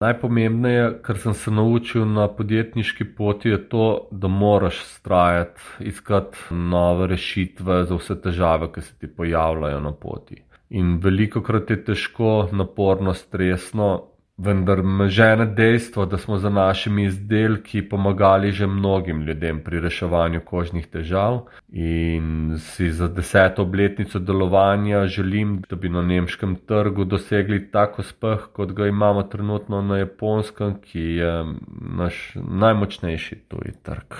Najpomembneje, kar sem se naučil na podjetniški poti, je to, da moraš vztrajati, iskati nove rešitve za vse težave, ki se ti pojavljajo na poti. In velikokrat je težko, naporno, stresno, vendar me žene dejstvo, da smo za našimi izdelki pomagali že mnogim ljudem pri reševanju kožnih težav in si za 10. obletnico delovanja želim, da bi na nemškem trgu dosegli tak uspeh, kot ga imamo trenutno na Japonskem, ki je naš najmočnejši tuji trg.